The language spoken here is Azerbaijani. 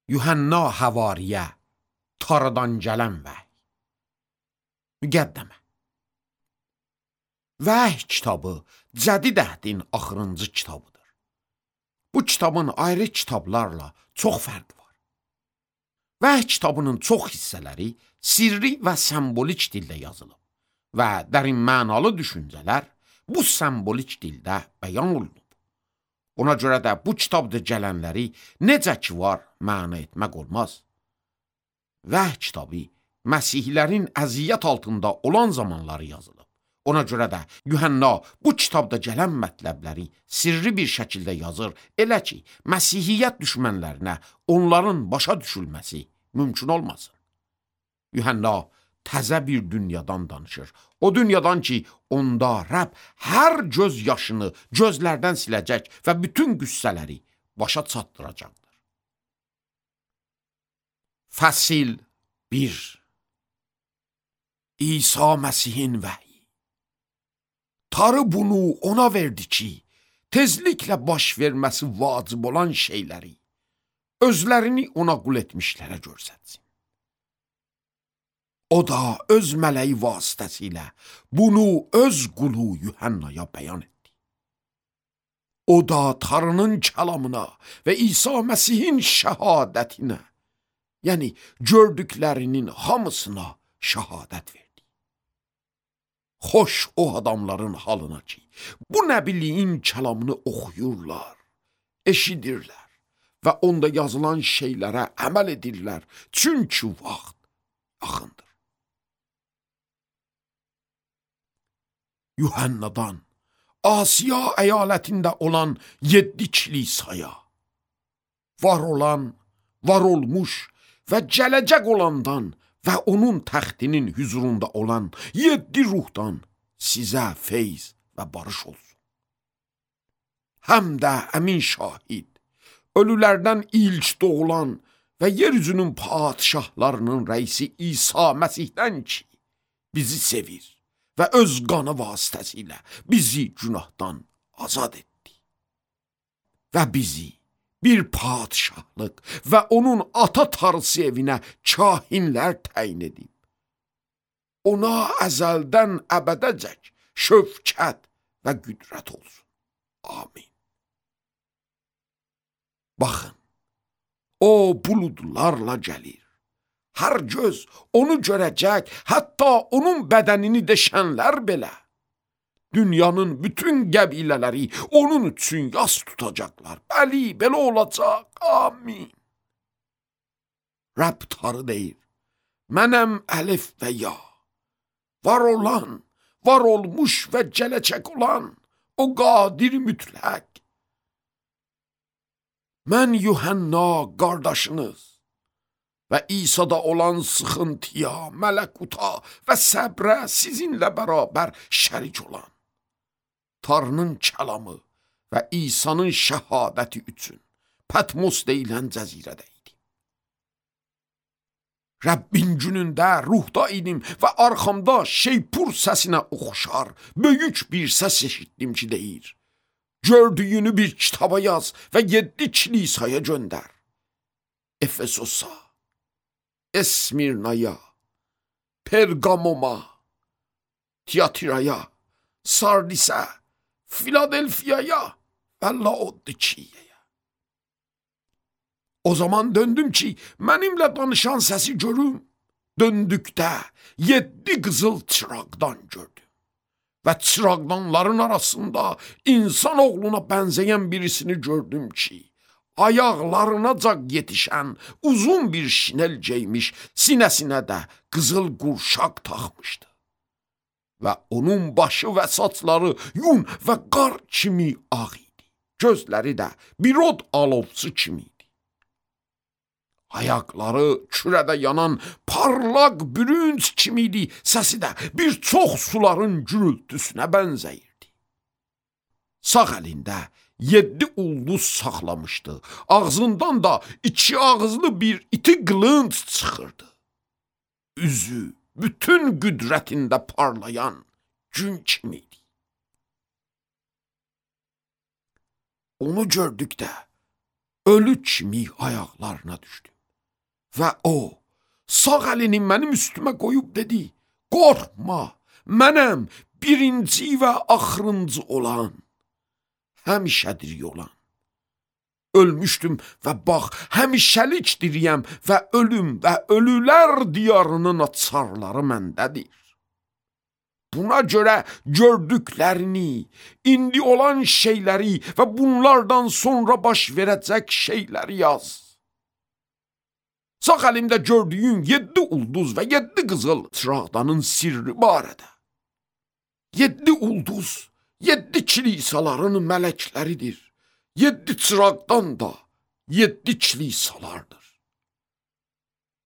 Yuhanna Havariyə, Taradan gələn vəhy. Müqəddəmə. Vəhy kitabı Cədid Əhdin axırıncı kitabıdır. Bu kitabın ayrı kitablarla çox fərqi var. Vəhy kitabının çox hissələri sirri və sembolik dildə yazılıb və dərin mənalı düşüncələr bu sembolik dildə bəyan olunub. Ona görə də bu kitabda gələnləri necə ki var məna etmək olmaz. Vəhy kitabı Məsihlərin əziyyət altında olan zamanları yazılıb. Ona görə də Yuhanna bu kitabda gələn mətləbləri sirri bir şəkildə yazır, elə ki, Məsihiyyət düşmənlərinə onların başa düşülməsi mümkün olmasın. Yuhanna təzə bir dünyadan danışır. O dünyadan ki, onda Rəbb hər göz yaşını gözlərdən siləcək və bütün qüssələri başa çatdıracaqdır. Fəsil 1. İsa Məsihin vəhyi. Tanrı bunu ona verdi ki, tezliklə baş verməsi vacib olan şeyləri özlərini ona qul etmişlərə görsətsin. O da öz mələyi vasitəsilə bunu öz qulu Yuhannaya bəyan etdi. O da Tanrının kəlamına və İsa Məsihin şəhadətinə, yəni gördüklərinin hamısına şəhadət verdi. Xoş o adamların halına ki, bu nəbiliyin kəlamını oxuyurlar, eşidirlər və onda yazılan şeylərə əməl edirlər, çünki vaxt yaxındır. Yuhannadan Asiya əyalətində olan 7 kilisaya, var olan, var olmuş və gələcək olandan və onun təxtinin hüzurunda olan 7 ruhdan sizə feyz və barış olsun. Həm də əmin şahid, ölülərdən ilk doğulan və yeryüzünün padişahlarının rəisi İsa Məsihdən ki, bizi sevir və öz qanı vasitəsilə bizi günahdan azad etdi. Və bizi bir padişahlıq və onun ata Tanrısı evinə kahinlər təyin edib. Ona əzəldən əbədəcək şövkət və qüdrət olsun. Amin. Baxın, o buludlarla gəlir. Hər göz onu görəcək, hətta onun bədənini deşənlər belə. Dünyanın bütün qəbilələri onun üçün yas tutacaqlar. Bəli, belə olacaq. Amin. Rəbb Tanrı deyir, mənəm əlif və ya, var olan, var olmuş və gələcək olan, o qadir mütləq. Mən Yuhanna qardaşınız və İsa'da olan sıxıntıya, mələkuta və səbrə sizinlə bərabər şərik olan, Tanrının kəlamı və İsa'nın şəhadəti üçün Patmos deyilən cəzirədə idim. Rəbbin günündə ruhda idim və arxamda şeypur səsinə oxşar böyük bir səs eşitdim ki deyir, gördüyünü bir kitaba yaz və 7 kilisaya göndər. Efesosa, Esmirnaya, Pergamoma, Tiatiraya, Sardisə, Filadelfiyaya və Laodikiyaya. O zaman döndüm ki, mənimlə danışan səsi görüm. Döndükdə 7 qızıl çıraqdan gördüm. Və çıraqdanların arasında insan oğluna bənzəyən birisini gördüm ki, ayaqlarınacan yetişən uzun bir şinel geymiş, sinəsinə də qızıl qurşaq taxmışdı. Və onun başı və saçları yun və qar kimi ağ idi. Gözləri də bir od alovçu kimi idi. Ayaqları kürədə yanan parlaq bürünc kimi idi. Səsi də bir çox suların gürültüsünə bənzəyirdi. Sağ əlində 7 ulduz saxlamışdı. Ağzından da 2 ağızlı bir iti qılınc çıxırdı. Üzü bütün qüdrətində parlayan gün kimi idi. Onu gördükdə ölü kimi ayaqlarına düşdüm. Və o, sağ əlini mənim üstümə qoyub dedi, qorxma, mənəm birinci və axırıncı olan, həmişədir olan. Ölmüşdüm və bax, həmişəlik diriyəm və ölüm və ölülər diyarının açarları məndədir. Buna görə gördüklərini, indi olan şeyləri və bunlardan sonra baş verəcək şeyləri yaz. Sağ əlimdə gördüyün 7 ulduz və 7 qızıl çıraqdanın sirri barədə. 7 ulduz, 7 kilisaların mələkləridir. 7 çıraqdan da 7 kilisalardır.